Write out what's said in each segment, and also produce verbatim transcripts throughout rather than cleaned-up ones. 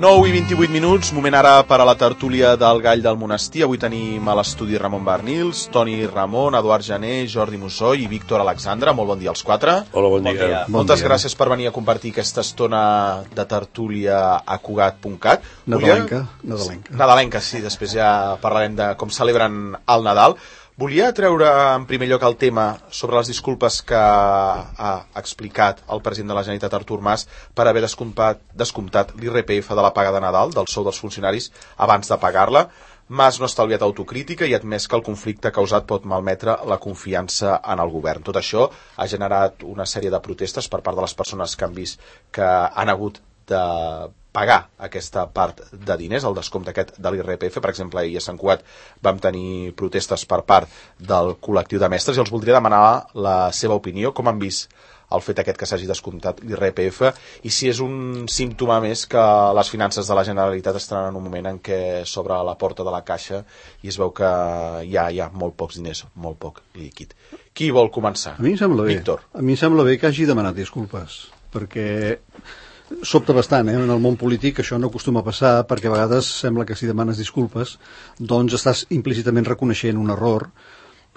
nou i vint-i-vuit minuts, moment ara per a la tertúlia del Gall del Monestir. Avui tenim a l'estudi Ramon Barnils, Toni Ramon, Eduard Jané, Jordi Mussoi i Víctor Alexandre. Molt bon dia als quatre. Hola, bon dia. Bon dia. Moltes bon dia. Gràcies per venir a compartir aquesta estona de tertúlia a Cugat punt cat. Nadalenca. Nadalenca. Nadalenca, sí, després ja parlarem de com celebren el Nadal. Volia treure en primer lloc el tema sobre les disculpes que ha explicat el president de la Generalitat, Artur Mas, per haver descomptat, descomptat l'I R P F de la paga de Nadal, del sou dels funcionaris, abans de pagar-la. Mas no ha estalviat autocrítica i ha admès que el conflicte causat pot malmetre la confiança en el govern. Tot això ha generat una sèrie de protestes per part de les persones que han vist que han hagut de pagar aquesta part de diners, el descompte aquest de l'I R P F. Per exemple, ahir a Sant Cugat vam tenir protestes per part del col·lectiu de mestres i els voldria demanar la seva opinió, com han vist el fet aquest que s'hagi descomptat l'I R P F i si és un símptoma més que les finances de la Generalitat estan en un moment en què s'obre la porta de la caixa i es veu que hi ha, hi ha molt pocs diners, molt poc líquid. Qui vol començar? A mi em sembla bé. Víctor. A mi em sembla bé que hagi demanat disculpes, perquè sobta bastant, eh? En el món polític això no acostuma a passar, perquè a vegades sembla que si demanes disculpes doncs estàs implícitament reconeixent un error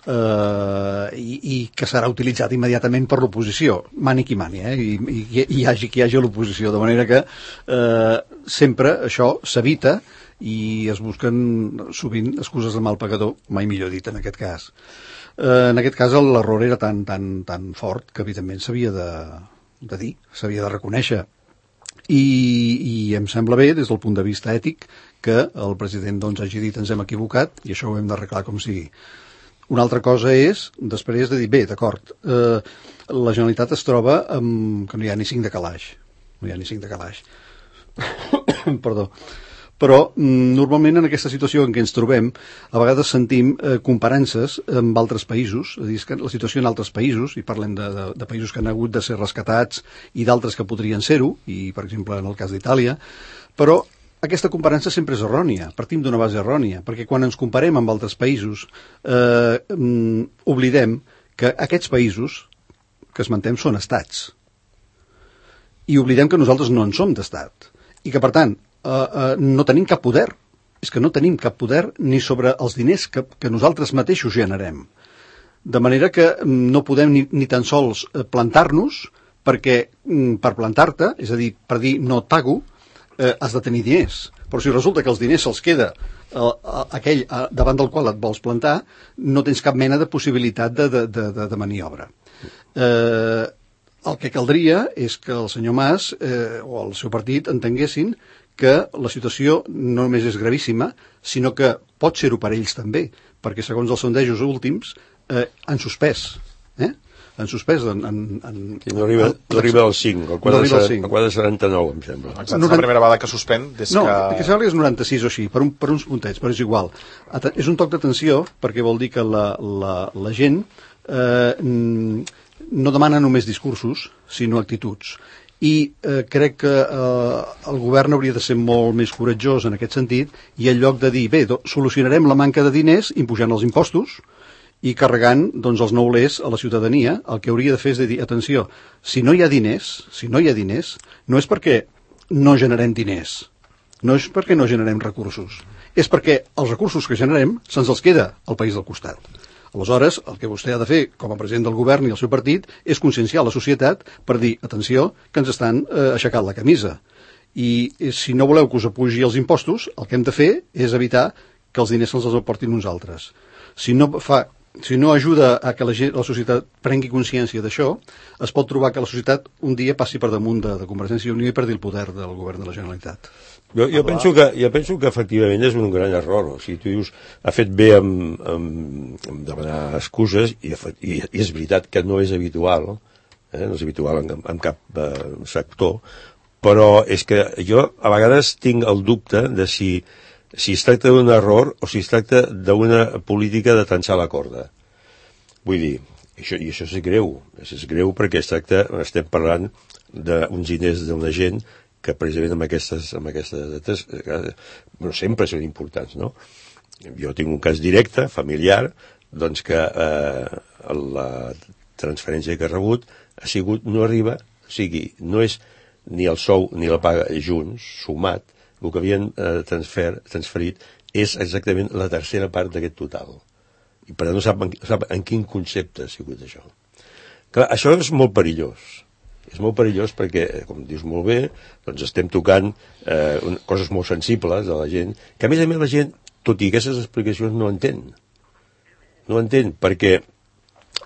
eh, i, i que serà utilitzat immediatament per l'oposició, mani qui mani, eh? I, i, i hi hagi qui hi hagi a l'oposició, de manera que eh, sempre això s'evita i es busquen sovint excuses de mal pagador, mai millor dit en aquest cas. Eh, en aquest cas l'error era tan, tan, tan fort que evidentment s'havia de, de dir, s'havia de reconèixer. I, i em sembla bé des del punt de vista ètic que el president doncs, hagi dit ens hem equivocat i això ho hem d'arreglar com sigui. Una altra cosa és després de dir bé, d'acord, eh, la Generalitat es troba amb, que no hi ha ni cinc de calaix no hi ha ni cinc de calaix perdó. Però normalment en aquesta situació en què ens trobem a vegades sentim eh, comparances amb altres països, és a dir, que la situació en altres països, i parlem de, de, de països que han hagut de ser rescatats i d'altres que podrien ser-ho, i per exemple en el cas d'Itàlia, però aquesta comparança sempre és errònia, partim d'una base errònia, perquè quan ens comparem amb altres països eh, mm, oblidem que aquests països que esmentem són estats, i oblidem que nosaltres no en som d'estat, i que per tant Uh, uh, no tenim cap poder, és que no tenim cap poder ni sobre els diners que, que nosaltres mateixos generem, de manera que no podem ni, ni tan sols plantar-nos, perquè mm, per plantar-te, és a dir, per dir no et pago, eh, has de tenir diners, però si resulta que els diners se'ls queda uh, uh, aquell uh, davant del qual et vols plantar, no tens cap mena de possibilitat de, de, de, de, de maniobra. Eh, el que caldria és que el senyor Mas eh, o el seu partit entenguessin que la situació no només és gravíssima, sinó que pot ser-ho per ells també, perquè segons els sondejos últims eh, han suspès, eh? han suspès en... en, en no arriba, en, no arriba al cinc, el quadre no setanta-nou, em sembla. Exacte, és la primera vegada que suspèn des no, que... No, que sembla que és noranta-sis o així, per, un, per uns puntets, però és igual. És un toc d'atenció, perquè vol dir que la, la, la gent eh, no demana només discursos, sinó actituds. I eh, crec que eh, el govern hauria de ser molt més coratjós en aquest sentit i en lloc de dir, bé, do, solucionarem la manca de diners impujant els impostos i carregant doncs, els neulers a la ciutadania, el que hauria de fer és de dir, atenció, si no hi ha diners, si no hi ha diners, no és perquè no generem diners, no és perquè no generem recursos, és perquè els recursos que generem se'ns els queda al país del costat. Aleshores, el que vostè ha de fer com a president del govern i el seu partit és conscienciar la societat per dir, atenció, que ens estan eh, aixecant la camisa. I si no voleu que us apugi els impostos, el que hem de fer és evitar que els diners se'ls aportin uns altres. Si no, fa, si no ajuda a que la, gent, la societat prengui consciència d'això, es pot trobar que la societat un dia passi per damunt de, de Convergència i Unió i perdi el poder del govern de la Generalitat. Jo, jo, penso que, jo penso que efectivament és un gran error. O sigui, tu dius, ha fet bé amb, amb, amb demanar excuses i, i, i és veritat que no és habitual, eh? no és habitual en, en cap eh, sector, però és que jo a vegades tinc el dubte de si, si es tracta d'un error o si es tracta d'una política de tensar la corda. Vull dir, això, i això és greu, això és greu perquè es tracta, estem parlant d'uns diners d'una gent que precisament amb aquestes, amb aquestes dates no sempre són importants, no? Jo tinc un cas directe, familiar, doncs que eh, la transferència que ha rebut ha sigut, no arriba, o sigui, no és ni el sou ni la paga junts, sumat, el que havien eh, transfer, transferit és exactament la tercera part d'aquest total. I per tant no sap, no sap en quin concepte ha sigut això. Clar, això és molt perillós. És molt perillós perquè, com dius molt bé, doncs estem tocant eh, coses molt sensibles de la gent, que a més a més la gent, tot i aquestes explicacions, no entén. No entén, perquè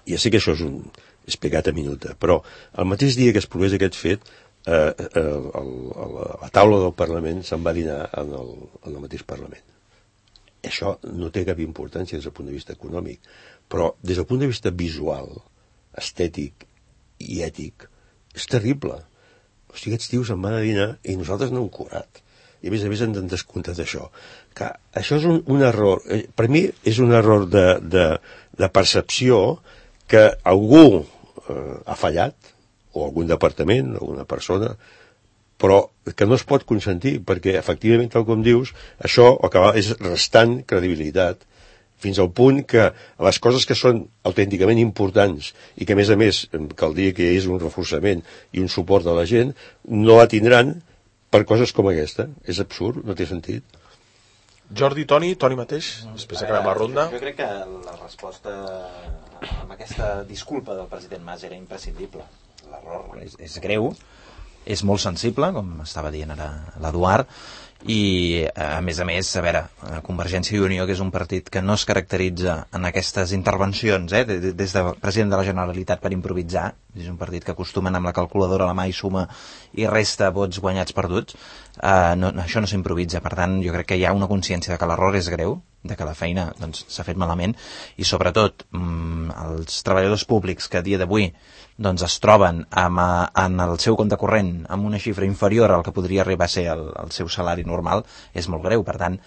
ja sé que això és un explicat a minuta, però el mateix dia que es provés aquest fet, eh, eh, el, el, la taula del Parlament se'n va dinar en el, en el mateix Parlament. Això no té cap importància des del punt de vista econòmic, però des del punt de vista visual, estètic i ètic, és terrible. O sigui, aquests tios se'n van a dinar i nosaltres no hem cobrat. I a més a més ens han descomptat això. Que això és un, un error. Per mi és un error de, de, de percepció que algú eh, ha fallat, o algun departament, o alguna persona, però que no es pot consentir, perquè efectivament, tal com dius, això el que va és restant credibilitat, fins al punt que les coses que són autènticament importants i que a més a més cal dir que és un reforçament i un suport de la gent, no la tindran per coses com aquesta. És absurd, no té sentit. Jordi, Toni, Toni mateix, després acabem la ronda. Jo crec que la resposta amb aquesta disculpa del president Mas era imprescindible. L'error és, és greu, és molt sensible, com estava dient ara l'Eduard, i a més a més, a veure, Convergència i Unió, que és un partit que no es caracteritza en aquestes intervencions, eh, des del president de la Generalitat per improvisar, és un partit que acostumen amb la calculadora a la mà i suma i resta vots guanyats perduts, eh, no, això no s'improvisa. Per tant, jo crec que hi ha una consciència de que l'error és greu, de que la feina doncs, s'ha fet malament, i sobretot mmm, els treballadors públics que a dia d'avui doncs es troben amb, en el seu compte corrent amb una xifra inferior al que podria arribar a ser el, el seu salari normal, és molt greu. Per tant,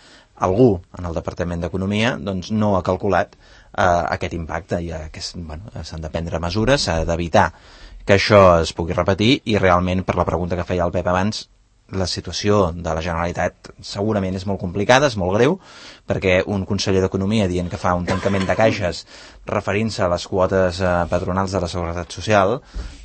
algú en el Departament d'Economia doncs, no ha calculat eh, aquest impacte i que bueno, s'han de prendre mesures, s'ha d'evitar que això es pugui repetir, i realment, per la pregunta que feia el Pep abans, la situació de la Generalitat segurament és molt complicada, és molt greu, perquè un conseller d'Economia dient que fa un tancament de caixes referint-se a les quotes eh, patronals de la Seguretat Social,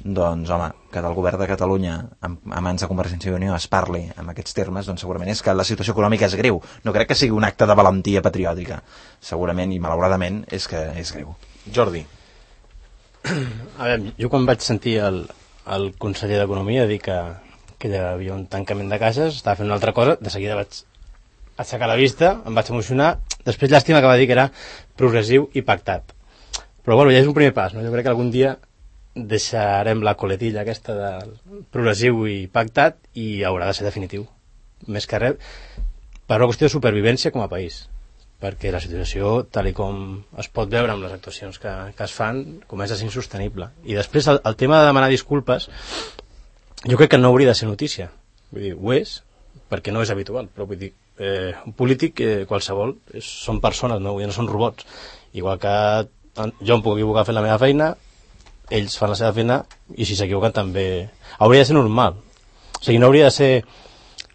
doncs home, que del govern de Catalunya a mans de Convergència i Unió es parli en aquests termes, doncs segurament és que la situació econòmica és greu. No crec que sigui un acte de valentia patriòtica, segurament, i malauradament és que és greu. Jordi. A veure, jo quan vaig sentir el, el conseller d'Economia dir que que hi havia un tancament de caixes, estava fent una altra cosa, de seguida vaig aixecar la vista, em vaig emocionar, després llàstima que va dir que era progressiu i pactat. Però bueno, ja és un primer pas, no? Jo crec que algun dia deixarem la coletilla aquesta del progressiu i pactat i haurà de ser definitiu. Més que res, per una qüestió de supervivència com a país, perquè la situació, tal i com es pot veure amb les actuacions que, que es fan, comença a ser insostenible. I després el, el tema de demanar disculpes, jo crec que no hauria de ser notícia. Vull dir, ho és, perquè no és habitual, però vull dir, eh, un polític, eh, qualsevol, és, són persones, no, no són robots. Igual que jo em puc equivocar fent la meva feina, ells fan la seva feina, i si s'equivoquen també... Hauria de ser normal. O sigui, no hauria de ser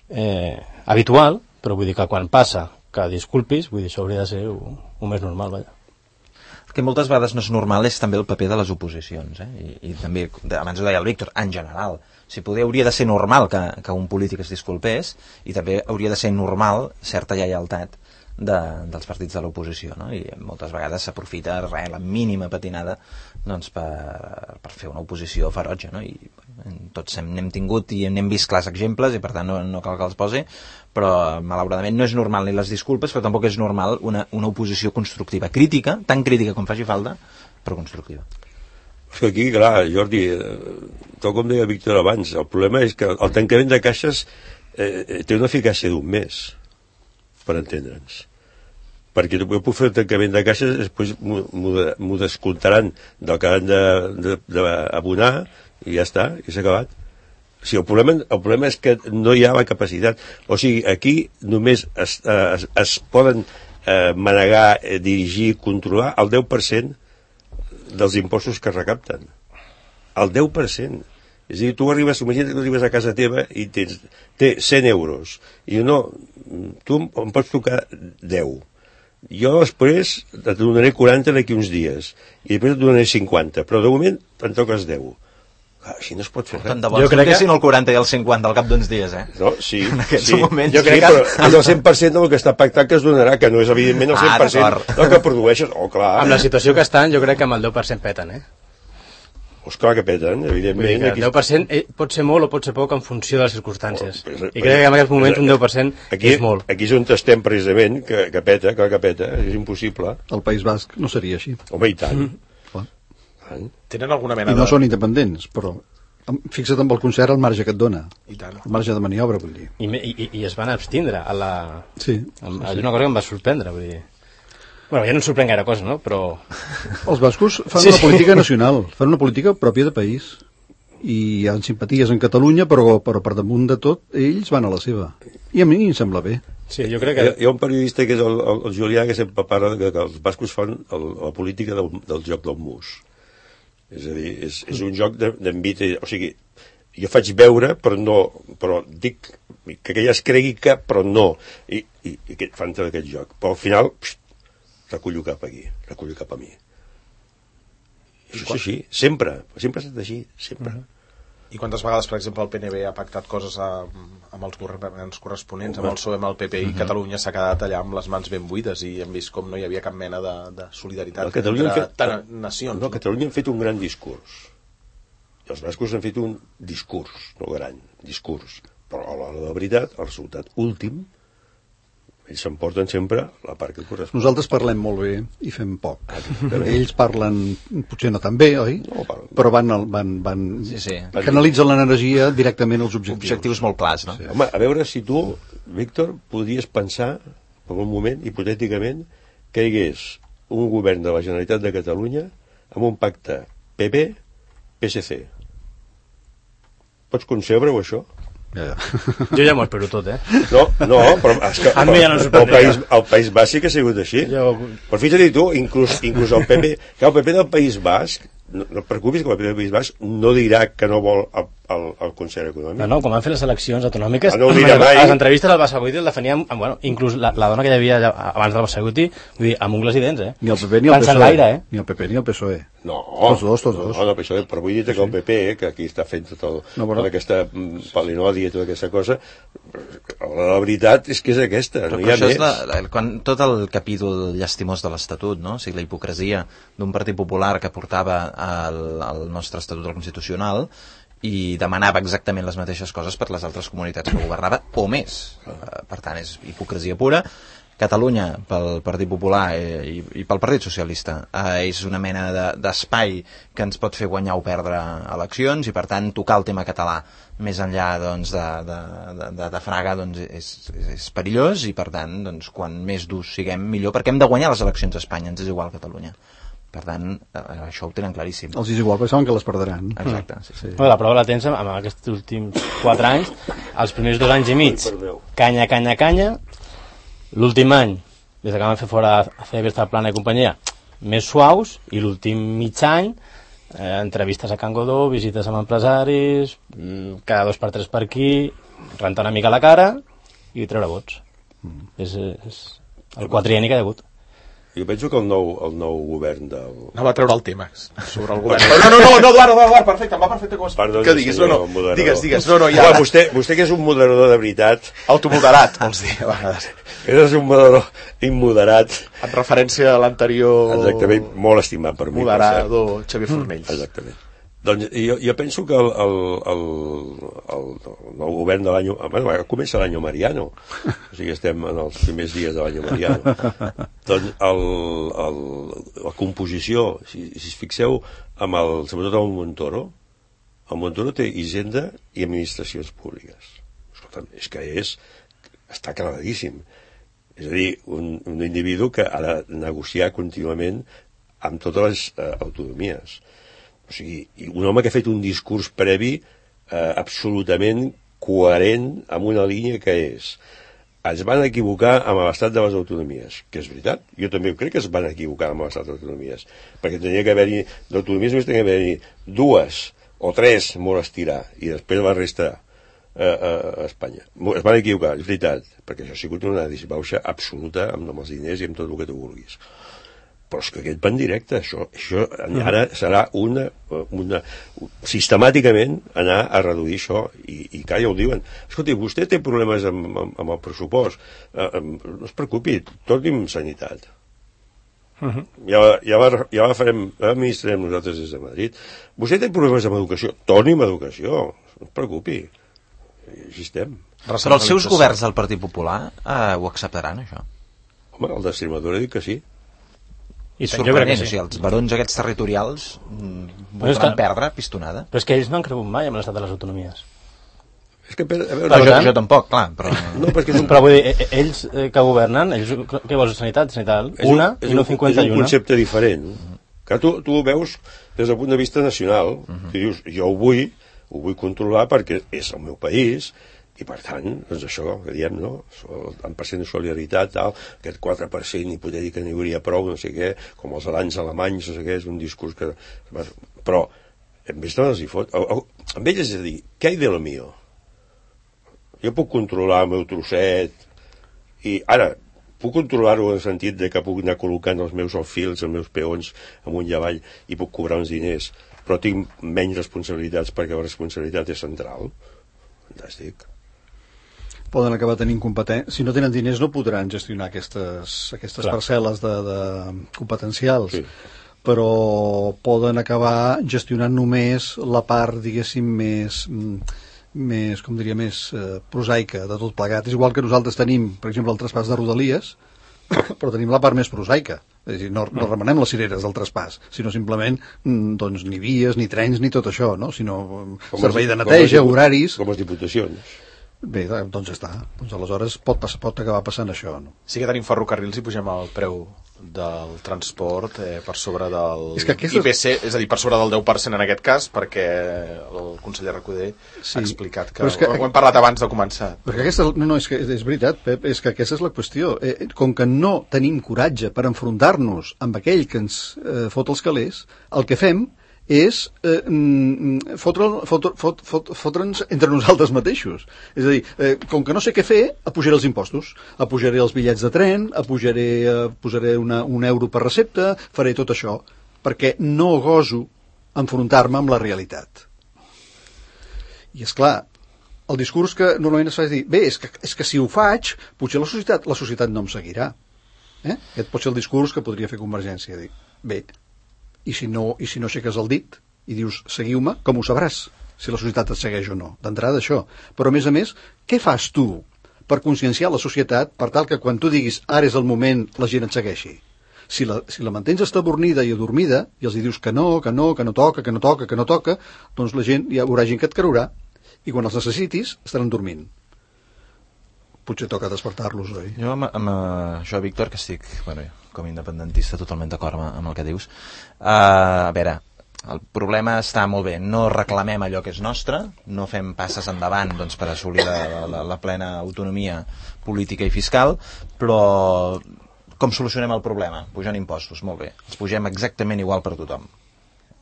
eh, habitual, però vull dir que quan passa que disculpis, vull dir, això hauria de ser un, un més normal, vaja. El que moltes vegades no és normal és també el paper de les oposicions, eh? I, i també, abans ho deia el Víctor, en general. Si poder, hauria de ser normal que, que un polític es disculpés, i també hauria de ser normal certa lleialtat de, dels partits de l'oposició, no? I moltes vegades s'aprofita res, la mínima patinada doncs, per, per fer una oposició ferotge, no? I tots hem, n'hem tingut i n'hem vist clars exemples, i per tant no, no cal que els posi, però malauradament no és normal ni les disculpes, però tampoc és normal una, una oposició constructiva, crítica, tan crítica com faci falta, però constructiva. És que aquí, clar, Jordi, tal com deia Víctor abans, el problema és que el tancament de caixes eh, té una eficàcia d'un mes, per entendre'ns. Perquè jo puc fer el tancament de caixes, després m'ho descomptaran del que han d'abonar, i ja està, i s'ha acabat. O sigui, el problema, el problema és que no hi ha la capacitat. O sigui, aquí només es, es, es poden eh, manegar, eh, dirigir, controlar el deu per cent dels impostos que es recapten. El deu per cent. És a dir, tu arribes, imagina't que tu arribes a casa teva i tens té cent euros. I no, tu em pots tocar deu. Jo després et donaré quaranta d'aquí uns dies. I després et donaré cinquanta. Però de moment te'n toques deu. Així no es pot fer Tant res. de bo ens donessin el quaranta i el cinquanta al cap d'uns dies, eh? No, sí, en aquests sí. moments. Jo crec que és el cent per cent del que està pactat que es donarà, que no és evidentment el cent per cent Ah, del que produeixes. Oh, clar. Amb la situació que estan, jo crec que amb el deu per cent peten, eh? Pues clar que peten, evidentment. El deu per cent pot ser molt o pot ser poc en funció de les circumstàncies. Oh, I crec que en aquest moment un deu per cent aquí, és molt. Aquí és on estem precisament, que, que peta, clar que peta, és impossible. El País Basc no seria així. Home, i tant. Clar. tant. Tenen alguna mena I no de... són independents, però fixa't amb el concert el marge que et dona. I tant. El marge de maniobra, vull dir. I, i, i es van abstindre a la... Sí. És una cosa que em va sorprendre, vull dir... Bueno, ja no em sorprèn gaire cosa, no? Però... Els bascos fan Sí, una sí. política nacional, fan una política pròpia de país. I hi ha simpaties en Catalunya, però, però per damunt de tot, ells van a la seva. I a mi em sembla bé. Sí, jo crec que... Hi ha, hi ha un periodista que és el, el, el Julià que sempre parla que, que els bascos fan el, la política del, del joc del mus. És a dir, és, és un joc d'envit, o sigui, jo faig veure, però no, però dic que ella es cregui que, però no, i, i, i que fan tot aquest joc. Però al final, pst, recullo cap aquí, recullo cap a mi. Això és així, sempre, sempre ha estat així, sempre. Uh -huh. I quantes vegades, per exemple, el P N B ha pactat coses a, amb els governs corresponents, amb el P S O E, amb el P P, i uh -huh. Catalunya s'ha quedat allà amb les mans ben buides i hem vist com no hi havia cap mena de, de solidaritat A Catalunya entre han fet, ta- nacions. no, a Catalunya han fet un gran discurs. I els bascos han fet un discurs, no gran, discurs. Però a l'hora de la veritat, el resultat últim, ells s'emporten sempre la part que correspon. Nosaltres parlem molt bé i fem poc. Ells parlen potser no tan bé, oi? No, parlen. Però van, al- van, van Sí, sí. canalitzen l'energia directament als objectius. Objectius molt clars, no? Sí. Home, a veure si tu, Víctor, podries pensar, per un moment, hipotèticament, que hi hagués un govern de la Generalitat de Catalunya amb un pacte P P P S C. Pots concebre-ho, això? Ja, ja. Jo ja m'ho espero tot, eh? No, no, però és que A mi ja no em el, sorprendria. país, el País Basc sí que ha sigut així. Jo- Però fixa't tu, inclús, inclús el P P, que el P P del País Basc, no, no et preocupis que el P P del País Basc no dirà que no vol el, el, el concert econòmic. No, no, com van fer les eleccions autonòmiques, Ah, no ho dirà mai. a les entrevistes al Bassaguti el definíem, amb, bueno, inclús la, la dona que hi havia allà, abans del Bassaguti, vull dir, amb ungles i dents, eh? Ni el P P ni el Van P S O E. s'enlaire, eh? Ni el P P ni el P S O E. No, Tots dos, tots dos. No, no, però, això, però vull dir que el P P, que aquí està fent tot el, No, però- tota aquesta mm, palinòdia i tota aquesta cosa, la, la veritat és que és aquesta, Però, no hi però ha això més. és la, la, quan, tot el capítol llastimós de l'Estatut, no? O sigui, la hipocresia d'un partit popular que portava el, el nostre Estatut al Constitucional i demanava exactament les mateixes coses per les altres comunitats que governava, o més. Eh, Per tant, és hipocresia pura. Catalunya, pel Partit Popular eh, i, i pel Partit Socialista, eh, és una mena de- d'espai que ens pot fer guanyar o perdre eleccions i, per tant, tocar el tema català més enllà doncs, de, de, de, de, de Fraga doncs, és, és, és perillós i, per tant, doncs, quan més durs siguem, millor, perquè hem de guanyar les eleccions a Espanya, ens és igual Catalunya. Per tant, eh, això ho tenen claríssim. Els és igual, perquè saben que les perdran. Exacte, sí, sí. Bueno, la prova la tens amb, amb aquests últims quatre anys, els primers dos anys i mig, canya, canya, canya, l'últim any, des que van fer fora a fer aquesta plana i companyia, més suaus, i l'últim mig any, eh, entrevistes a Can Godó, visites amb empresaris, mm, cada dos per tres per aquí, rentar una mica la cara i treure vots. Mm. És, és el quatrienni que hi ha hagut. Jo penso que el nou, el nou govern del... No va treure el tema sobre el govern. No, no, no, no, Eduard, Eduard, perfecte, em va perfecte com es... Perdó, que diguis, no, no, moderador. digues, digues, no, no, ja... Home, vostè, vostè que és un moderador de veritat, Automoderat, vols dir, a vegades. és un moderador immoderat, En referència a l'anterior... exactament, molt estimat per mi. per cert. Moderador Xavier Fornells. Exactament. Doncs jo, jo penso que el, el, el, el, el nou govern de l'any... Bueno, comença l'any Mariano, o sigui, estem en els primers dies de l'any Mariano. Doncs el, el, la composició, si, si es fixeu, amb el, sobretot amb el Montoro, el Montoro té Hisenda i administracions públiques. Escolta'm, és que és... està claríssim. És a dir, un, un individu que ha de negociar contínuament amb totes les eh, autonomies. O sigui, un home que ha fet un discurs previ eh, absolutament coherent amb una línia que és es van equivocar amb l'estat de les autonomies, que és veritat, jo també crec que es van equivocar amb l'estat de les autonomies, perquè tenia que haver-hi, d'autonomies només tenia que haver-hi dues o tres molt estirar, i després la resta eh, a Espanya. Es van equivocar, és veritat, perquè això ha sigut una disbauxa absoluta amb els diners i amb tot el que tu vulguis. però és que aquest va en directe, això, això ara serà una, una sistemàticament anar a reduir això, i, i clar, ja ho diuen. Escolti, vostè té problemes amb, amb, amb el pressupost, eh, no es preocupi, torni'm sanitat. Uh-huh. Ja, ja, va, ja va farem, ja administrem nosaltres des de Madrid. Vostè té problemes amb educació, torni'm educació, no es preocupi, així estem. Però els seus governs del Partit Popular eh, ho acceptaran, això? Home, el d'Extremadura dic que sí. I sorprenent, sí. O sigui, els barons aquests territorials volen perdre pistonada. Però és que ells no han cregut mai amb l'estat de les autonomies. És que, a veure, però jo, jo tampoc, clar. Però, no, perquè és un... però vull dir, ells que governen, ells, què vols, sanitat? Sanitat, una un, i no cinquanta i una. És un concepte diferent. Que tu, tu ho veus des del punt de vista nacional, uh-huh. que dius, jo ho vull, ho vull controlar perquè és el meu país, i per tant, doncs això que diem, no? El tant per cent de solidaritat, tal, aquest quatre per cent hipotètic que n'hi hauria prou, no sé què, com els alans alemanys, no sé què, és un discurs que... Però, en vez de les hi fot... Amb ells és a dir, què hi de lo mío? Jo puc controlar el meu trosset, i ara, puc controlar-ho en el sentit de que puc anar col·locant els meus alfils, els meus peons amunt i avall, i puc cobrar uns diners, però tinc menys responsabilitats perquè la responsabilitat és central. Fantàstic. Poden acabar tenint competència. Si no tenen diners no podran gestionar aquestes, aquestes parcel·les de, de competencials, sí. Però poden acabar gestionant només la part, diguéssim, més, més com diria, més eh, prosaica de tot plegat. És igual que nosaltres tenim, per exemple, el traspàs de Rodalies, però tenim la part més prosaica. És a dir, no, no remenem les cireres del traspàs, sinó simplement doncs, ni vies, ni trens, ni tot això, no? Sinó com servei de neteja, com horaris... Com les diputacions. Bé, doncs ja està. Doncs aleshores pot, passar, pot acabar passant això, no? Sí que tenim ferrocarrils i pugem el preu del transport eh, per sobre del és que aquestes... I P C, és a dir, per sobre del deu per cent en aquest cas, perquè el conseller Recoder sí. ha explicat que, que... ho hem parlat abans de començar. Perquè aquesta, no, no, és, que, és veritat, Pep, és que aquesta és la qüestió. Eh, com que no tenim coratge per enfrontar-nos amb aquell que ens eh, fot els calés, el que fem és eh, fotre'ns fotre, fotre, fotre, fotre entre nosaltres mateixos. És a dir, eh, com que no sé què fer, apujaré els impostos, apujaré els bitllets de tren, apujaré, eh, posaré una, un euro per recepta, faré tot això, perquè no goso enfrontar-me amb la realitat. I és clar, el discurs que normalment es fa és dir, bé, és que, és que si ho faig, potser la societat, la societat no em seguirà. Eh? Aquest pot ser el discurs que podria fer Convergència. Dir, bé, i si no, i si no aixeques el dit i dius, seguiu-me, com ho sabràs si la societat et segueix o no? D'entrada això. Però a més a més, què fas tu per conscienciar la societat per tal que quan tu diguis, ara és el moment, la gent et segueixi? Si la, si la mantens estabornida i adormida i els dius que no, que no, que no toca, que no toca, que no toca, doncs la gent, hi haurà gent que et creurà i quan els necessitis estaran dormint. Potser toca despertar-los, oi? Jo amb, amb això, Víctor, que estic, bueno, com a independentista totalment d'acord amb, amb el que dius, uh, a veure, el problema està molt bé, no reclamem allò que és nostre, no fem passes endavant doncs, per assolir la, la, la plena autonomia política i fiscal, però com solucionem el problema? Pujant impostos, molt bé, els pugem exactament igual per tothom.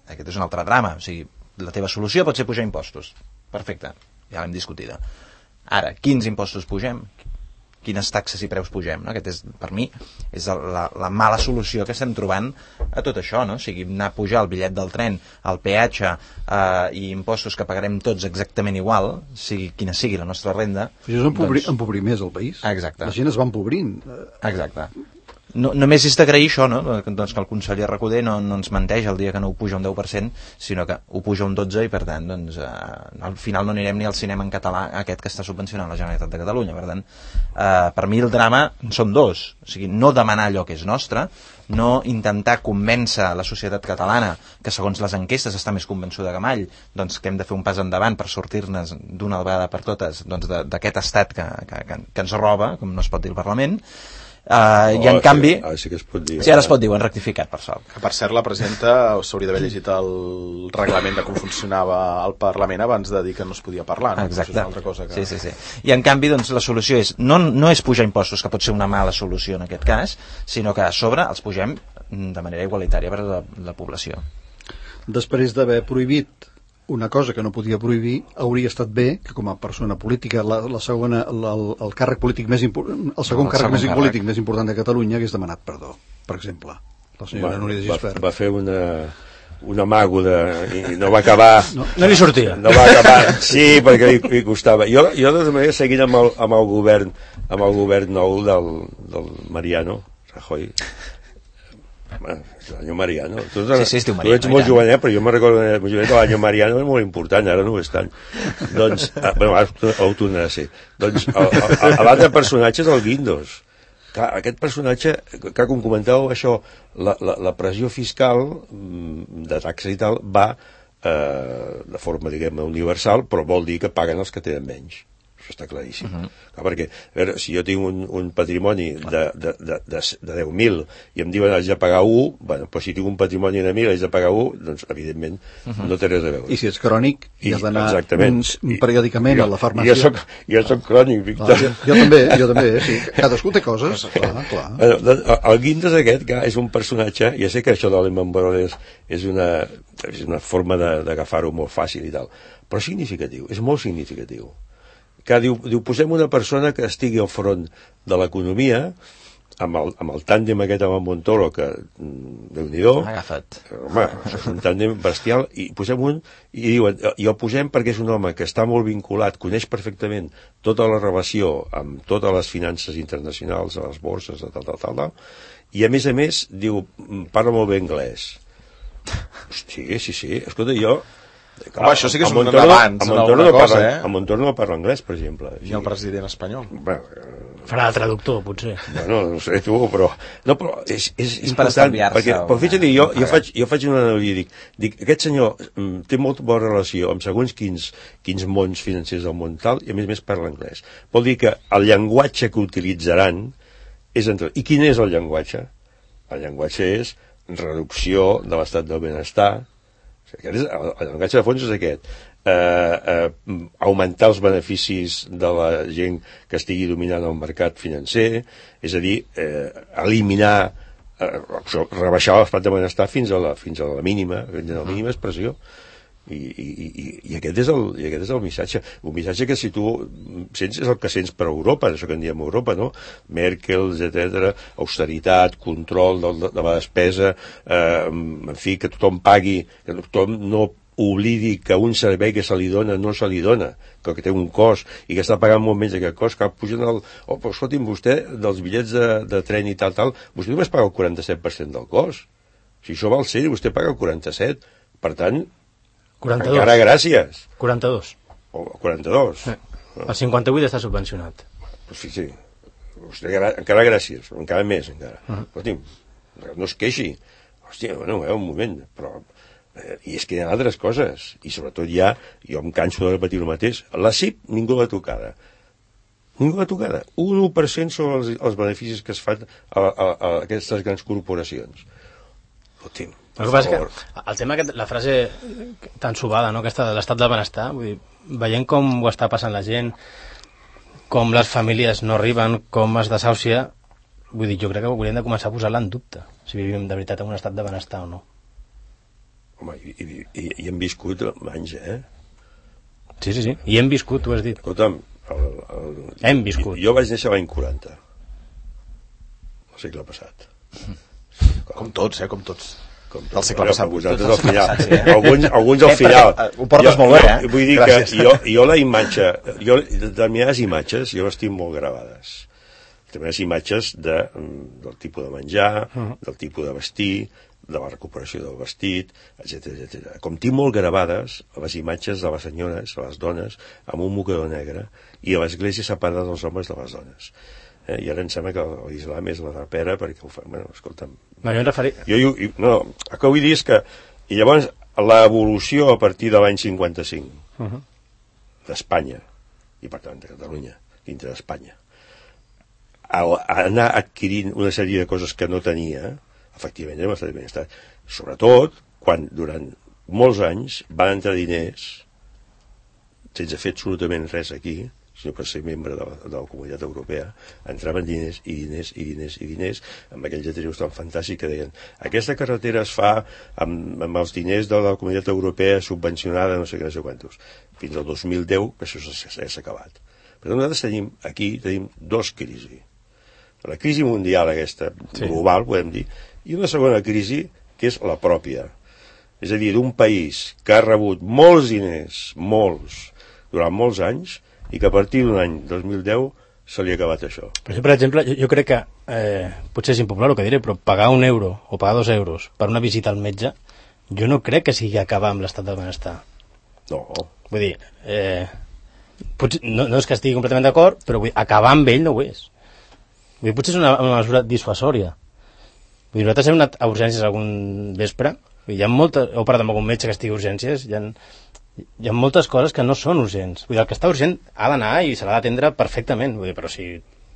Aquest és un altre drama, o sigui, la teva solució pot ser pujar impostos, perfecte, ja l'hem discutida. Ara, quins impostos pugem? Quines taxes i preus pugem? No? Aquest és, per mi, és la, la mala solució que estem trobant a tot això, no? O sigui, anar a pujar el bitllet del tren, el peatge eh, i impostos que pagarem tots exactament igual, sigui quina sigui la nostra renda... Això és empobrir, doncs... empobrir més el país. Exacte. La gent es va empobrint. Exacte. No, només és d'agrair això, no? Doncs que el conseller Recoder no, no ens menteix el dia que no ho puja un deu per cent, sinó que ho puja un dotze per cent i per tant doncs, eh, al final no anirem ni al cinema en català aquest que està subvencionant la Generalitat de Catalunya. Per tant, eh, per mi el drama són dos, o sigui, no demanar allò que és nostre, no intentar convèncer la societat catalana, que segons les enquestes està més convençuda que mai, doncs que hem de fer un pas endavant per sortir-ne d'una vegada per totes doncs, d'aquest estat que, que, que, que ens roba, com no es pot dir al Parlament. Uh, oh, I en canvi sí, sí que es pot dir, sí, ara es pot dir, ho han rectificat per sort. Que per cert la presidenta s'hauria d'haver llegit el reglament de com funcionava el Parlament abans de dir que no es podia parlar, no? Exacte. Això és una altra cosa que... sí, sí, sí. I en canvi doncs, la solució és no, no és pujar impostos, que pot ser una mala solució en aquest cas, sinó que a sobre els pugem de manera igualitària per a la, la població. Després d'haver prohibit una cosa que no podia prohibir, hauria estat bé que com a persona política la, la segona, la, el, el càrrec polític més important, el segon el càrrec, més càrrec polític més important de Catalunya hagués demanat perdó, per exemple. la senyora Núria de Gispert. Va, va fer una... un amago de... i no va acabar... No, no li sortia. No va acabar... Sí, perquè li, li costava. Jo, jo de tota manera, seguint amb el, amb el govern amb el govern nou del, del Mariano Rajoy, bueno, l'any Mariano, tu, sí, sí, tu, tu ets molt jovenet, però jo me'n recordo que l'any Mariano era molt important, ara no ho és tant. Doncs, ah, bueno, ara ho tornarà a ser. Doncs l'altre personatge és el Guindos. Clar, aquest personatge, que com comentàveu això, la, la, la pressió fiscal de taxes i tal va eh, de forma, diguem, universal, però vol dir que paguen els que tenen menys. Això està claríssim. Uh -huh. Clar, perquè, a veure, si jo tinc un, un patrimoni de, de, de, de, de deu mil i em diuen haig de pagar un, bueno, però si tinc un patrimoni de mil haig de pagar un, doncs, evidentment, uh -huh. no té res a veure. I si ets crònic i, i has d'anar periòdicament jo, a la farmàcia... Jo soc, jo soc crònic, Víctor. Jo, jo també, jo també, sí. Cadascú té coses, clar, clar. Bueno, el Guindos aquest, que és un personatge, ja sé que això de Lehman Brothers és una, és una forma d'agafar-ho molt fàcil i tal, però significatiu, és molt significatiu. Que diu, diu, posem una persona que estigui al front de l'economia, amb el, amb el tàndem aquest amb el Montoro, que, Déu-n'hi-do, agafat. Home, és un tàndem bestial, i posem un, i diuen, i el posem perquè és un home que està molt vinculat, coneix perfectament tota la relació amb totes les finances internacionals, a les borses, tal, tal, tal, tal, i a més a més, diu, parla molt bé anglès. Sí, sí, sí, escolta, jo... Home, això sí que és un avanç en alguna cosa, eh? El Montoro no parla anglès, per exemple. I el president espanyol? Bueno, farà de traductor, potser. Bueno, no sé tu, però... No, però és, és, és important, perquè, però fixa't, jo, jo, faig, jo faig una analogia, dic, dic, aquest senyor mm, té molta bona relació amb segons quins, quins mons financers del món tal, i a més a més parla anglès. Vol dir que el llenguatge que utilitzaran és entre... I quin és el llenguatge? El llenguatge és reducció de l'estat del benestar. Aquest és, el, el llenguatge de fons és aquest. Eh, eh, augmentar els beneficis de la gent que estigui dominant el mercat financer, és a dir, eh, eliminar, eh, rebaixar l'estat de benestar fins a la, fins a la mínima, fins a la mínima expressió. I, i, i, i, aquest és el, i aquest és el missatge. Un missatge que si tu sents és el que sents per Europa, això que en diem Europa, no? Merkel, etcètera, austeritat, control de, de la despesa, eh, en fi, que tothom pagui, que tothom no oblidi que un servei que se li dona no se li dona, que, que té un cost i que està pagant molt menys aquest cost, que pugen el... Oh, però escolti'm, vostè, dels bitllets de, de tren i tal, tal, vostè només paga el quaranta-set per cent del cost. Si això val ser, vostè paga el quaranta-set. Per tant, quaranta-dos. Encara gràcies. quaranta-dos. O quaranta-dos. Eh. El cinquanta-vuit està subvencionat. Pues sí, sí. Vostè, encara gràcies, encara més, encara. Uh -huh. Hòstia, no es queixi. Hòstia, bueno, eh, un moment, però... Eh, I és que hi ha altres coses. I sobretot ja, jo em canso de repetir el mateix, la C I P ningú l'ha tocada. Ningú l'ha tocada. Un u per cent sobre els, els beneficis que es fan a, a, a aquestes grans corporacions. Hòstia, el que passa és que el tema, aquest, la frase tan subada, no?, aquesta de l'estat del benestar, vull dir, veient com ho està passant la gent, com les famílies no arriben, com es desàusia, vull dir, jo crec que hauríem de començar a posar-la en dubte, si vivim de veritat en un estat de benestar o no. Home, i, i, i, i hem viscut anys, eh? Sí, sí, sí, i hem viscut, tu has dit. Escolta'm, el, el, hem viscut. Jo, jo vaig néixer l'any quaranta, el segle passat. Com tots, eh, com tots. Com del segle passat. Vosaltres al final. Sí, eh? alguns, alguns al final. Ho portes jo, molt bé, eh? Vull dir Gràcies. que jo, jo la imatge, jo, determinades imatges, jo les tinc molt gravades. Determinades imatges de, del tipus de menjar, uh -huh. del tipus de vestir, de la recuperació del vestit, etcètera, etcètera. Com tinc molt gravades les imatges de les senyores, les dones, amb un mocador negre, i a l'església separada dels homes de les dones. Eh, I ara em sembla que l'islam és la de pera, perquè ho fa... Bueno, escolta'm... No, jo em referia... Jo, jo, no, el que vull dir és que... I llavors, l'evolució a partir de l'any cinquanta-cinc, uh -huh. d'Espanya, i per tant de Catalunya, dintre d'Espanya, a, a anar adquirint una sèrie de coses que no tenia, efectivament, hem estat benestar. Sobretot, quan durant molts anys van entrar diners, sense fer absolutament res aquí, sinó per ser membre de la, de la Comunitat Europea, entraven diners i diners i diners i diners, amb aquells lletrius tan fantàstics que deien aquesta carretera es fa amb, amb els diners de la Comunitat Europea subvencionada, no sé què, no sé quantos. Fins al dos mil deu, que això s'ha acabat. Per tant, nosaltres tenim aquí tenim dos crisis. La crisi mundial aquesta, sí. global, podem dir, i una segona crisi que és la pròpia. És a dir, d'un país que ha rebut molts diners, molts, durant molts anys, i que a partir d'un any, dos mil deu, se li ha acabat això. Per, per exemple, jo, jo crec que, eh, potser és impopular el que diré, però pagar un euro o pagar dos euros per una visita al metge, jo no crec que sigui acabar amb l'estat del benestar. No. Vull dir, eh, potser, no, no és que estigui completament d'acord, però vull dir, acabar amb ell no ho és. Vull dir, potser és una, una mesura dissuasòria. Vull dir, nosaltres hem anat a urgències algun vespre, vull dir, hi ha molta, heu parlat amb algun metge que estigui a urgències, hi ha, hi ha moltes coses que no són urgents. Vull dir, el que està urgent ha d'anar i se l'ha d'atendre perfectament. Vull dir, però si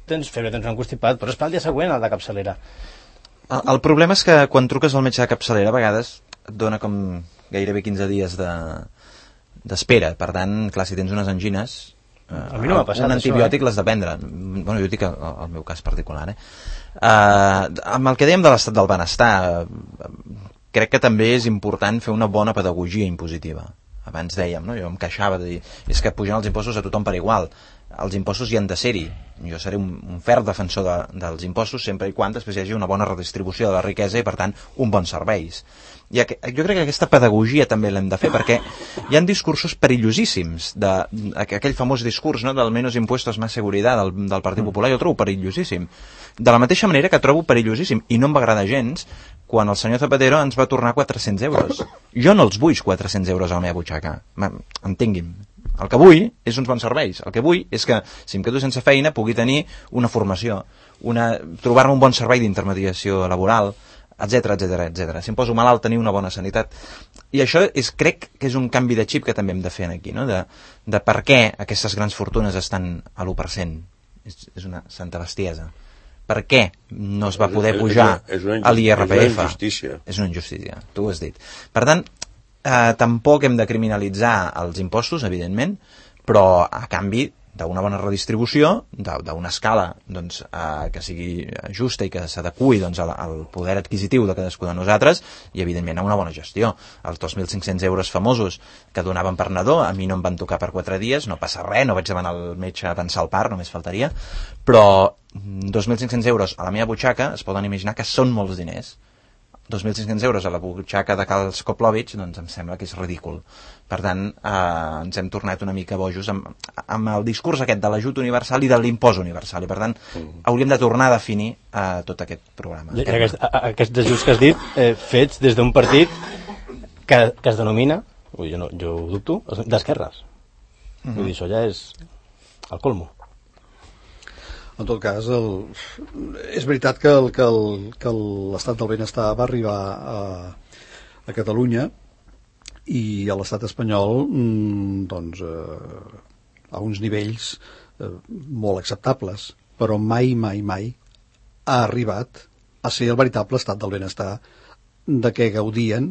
tens febre, tens un constipat, però és pel dia següent al de capçalera. El, el problema és que quan truques al metge de capçalera a vegades et dona com gairebé quinze dies de d'espera. Per tant, clar, si tens unes angines, eh, a mi no m'ha passat un antibiòtic això, eh? l'has de prendre. Bueno, jo dic el, el meu cas particular, eh? Uh, amb el que dèiem de l'estat del benestar, uh, crec que també és important fer una bona pedagogia impositiva. Abans dèiem, no? Jo em queixava de dir, és que pugen els impostos a tothom per igual. Els impostos hi han de ser-hi. Jo seré un, un ferm defensor de, dels impostos sempre i quan després hi hagi una bona redistribució de la riquesa i, per tant, un bons serveis. I aqu jo crec que aquesta pedagogia també l'hem de fer, perquè hi ha discursos perillosíssims, de, aquell famós discurs, no?, del menos impuestos más seguridad del, del Partit Popular, jo el trobo perillosíssim. De la mateixa manera que trobo perillosíssim, i no em va agradar gens, quan el senyor Zapatero ens va tornar quatre-cents euros. Jo no els vull quatre-cents euros a la meva butxaca, entengui'm. El que vull és uns bons serveis. El que vull és que, si em quedo sense feina, pugui tenir una formació, una, trobar-me un bon servei d'intermediació laboral, etcètera, etcètera, etcètera. Si em poso malalt, tenir una bona sanitat. I això és, crec que és un canvi de xip que també hem de fer aquí, no? De, de per què aquestes grans fortunes estan a l'u per cent. És, és una santa bestiesa. Per què no es va poder pujar a l'I R P F? És una injustícia. És una injustícia, tu ho has dit. Per tant, eh, tampoc hem de criminalitzar els impostos, evidentment, però a canvi d'una bona redistribució, d'una escala doncs, eh, que sigui justa i que s'adequi doncs, al, al poder adquisitiu de cadascú de nosaltres i, evidentment, a una bona gestió. Els dos mil cinc-cents euros famosos que donaven per nadó, a mi no em van tocar per quatre dies, no passa res, no vaig demanar al metge a pensar el part, només faltaria, però dos mil cinc-cents euros a la meva butxaca es poden imaginar que són molts diners. dos mil cinc-cents euros a la butxaca de Cal Skoplovich, doncs em sembla que és ridícul. Per tant, eh, ens hem tornat una mica bojos amb, amb el discurs aquest de l'ajut universal i de l'impost universal, i per tant mm. hauríem de tornar a definir eh, tot aquest programa. I aquest, aquests ajuts que has dit, eh, fets des d'un partit que, que es denomina, ui, jo, no, jo ho dubto, d'esquerres. Mm-hmm. Vull dir, això ja és el colmo. En tot cas, el... és veritat que el, que el, que l'estat del benestar va arribar a, a Catalunya i a l'estat espanyol doncs, eh, a uns nivells eh, molt acceptables, però mai, mai, mai ha arribat a ser el veritable estat del benestar de què gaudien.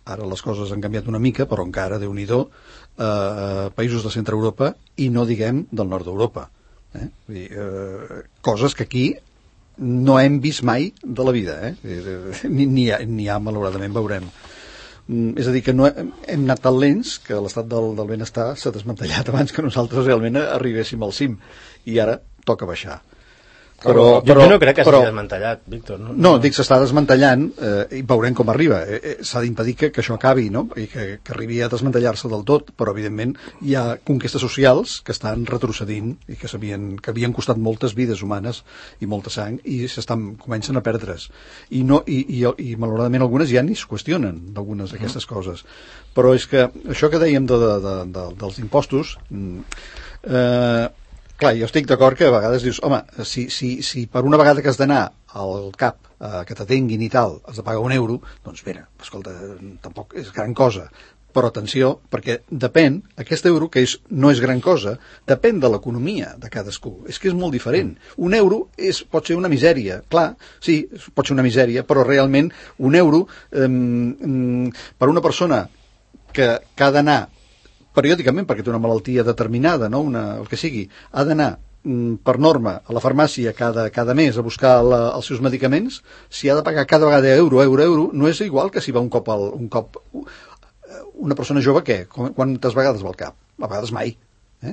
Ara les coses han canviat una mica, però encara, Déu-n'hi-do, eh, països de centre Europa i no diguem del nord d'Europa. Eh? Vull dir, eh, coses que aquí no hem vist mai de la vida, eh? ni, ni, ha, ni ha, malauradament, veurem. Mm, és a dir, que no hem, hem anat tan lents que l'estat del, del benestar s'ha desmantellat abans que nosaltres realment arribéssim al cim, i ara toca baixar. Però, jo, però, jo no crec que s'hagi desmantellat, Víctor. No, no, no, dic, s'està desmantellant eh, i veurem com arriba. Eh, eh, s'ha d'impedir que, que això acabi, no? I que, que arribi a desmantellar-se del tot, però evidentment hi ha conquestes socials que estan retrocedint i que, que havien costat moltes vides humanes i molta sang i s'estan comencen a perdre's. I, no, i, i, i malauradament algunes ja ni es qüestionen d'algunes d'aquestes mm. coses. Però és que això que dèiem de, de, de, de, dels impostos... Eh, clar, jo estic d'acord que a vegades dius, home, si, si, si per una vegada que has d'anar al cap eh, que t'atenguin i tal, has de pagar un euro, doncs mira, escolta, tampoc és gran cosa. Però atenció, perquè depèn, aquest euro, que és, no és gran cosa, depèn de l'economia de cadascú. És que és molt diferent. Un euro és, pot ser una misèria. Clar, sí, pot ser una misèria, però realment un euro eh, per una persona que, que ha d'anar periòdicament, perquè té una malaltia determinada, no? una, el que sigui, ha d'anar mm, per norma a la farmàcia cada, cada mes a buscar la, els seus medicaments, si ha de pagar cada vegada euro, euro, euro, no és igual que si va un cop, al, un cop una persona jove, què? Quantes vegades va al cap? A vegades mai. Eh?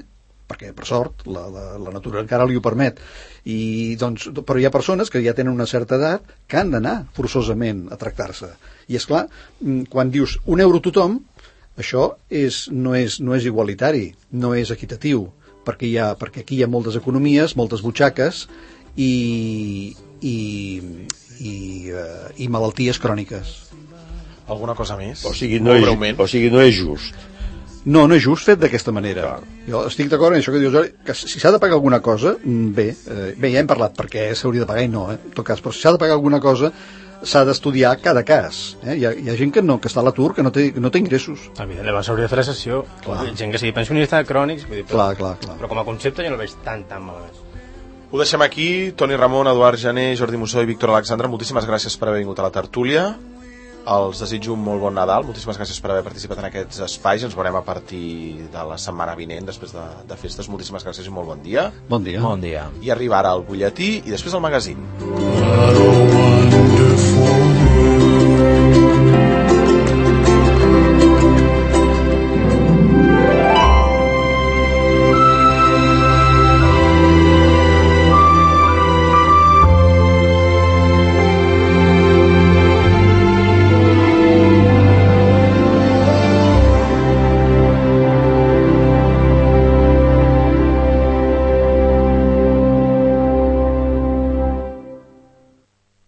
perquè per sort la, la, la natura encara li ho permet. I, doncs, però hi ha persones que ja tenen una certa edat que han d'anar forçosament a tractar-se. I és clar, quan dius un euro tothom, això és, no, és, no és igualitari, no és equitatiu, perquè, hi ha, perquè aquí hi ha moltes economies, moltes butxaques i, i, i, uh, i malalties cròniques. Alguna cosa més? O sigui, no, és, o sigui, no és just. No, no és just fet d'aquesta manera. Jo estic d'acord en això que dius, que si s'ha de pagar alguna cosa, bé, eh, bé, ja hem parlat perquè s'hauria de pagar i no, eh, en tot cas, però si s'ha de pagar alguna cosa, s'ha d'estudiar cada cas. Eh? Hi, ha, hi ha gent que, no, que està a l'atur, que no té, que no té ingressos. Evidentment, s'hauria de fer la sessió. Gent que sigui pensionista, crònics, vull dir, però, clar, clar, clar. però com a concepte jo no el veig tan, tan malament. Ho deixem aquí. Toni Ramon, Eduard Jané, Jordi Mussó i Víctor Alexandre, moltíssimes gràcies per haver vingut a la tertúlia. Els desitjo un molt bon Nadal. Moltíssimes gràcies per haver participat en aquests espais. Ens veurem a partir de la setmana vinent, després de, de festes. Moltíssimes gràcies i molt bon dia. Bon dia. Bon dia. I arriba ara el butlletí i després el magazín.